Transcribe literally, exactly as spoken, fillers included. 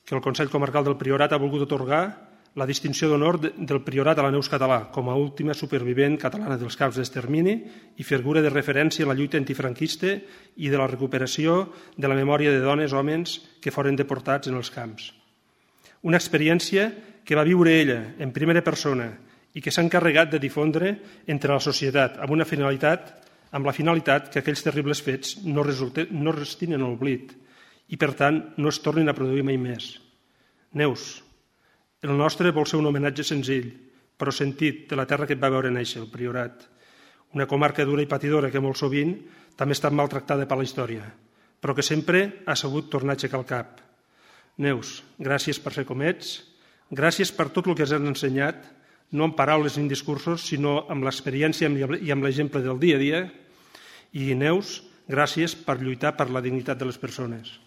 que el Consell Comarcal del Priorat ha volgut atorgar la distinció d'honor del Priorat a la Neus Català com a última supervivent catalana dels camps d'extermini i figura de referència en la lluita antifranquista i de la recuperació de la memòria de dones i homes que foren deportats en els camps. Una experiència que va viure ella en primera persona i que s'ha encarregat de difondre entre la societat amb una finalitat, amb la finalitat que aquells terribles fets no, resulten, no restin en l'oblit i, per tant, no es tornin a produir mai més. Neus, el nostre vol ser un homenatge senzill, però sentit, de la terra que et va veure néixer, el Priorat. Una comarca dura i patidora que molt sovint també ha estat maltractada per la història, però que sempre ha sabut tornar a aixecar el cap. Neus, gràcies per ser com ets, gràcies per tot el que ens has ensenyat, no amb paraules ni discursos, sinó amb l'experiència i amb l'exemple del dia a dia. I, Neus, gràcies per lluitar per la dignitat de les persones.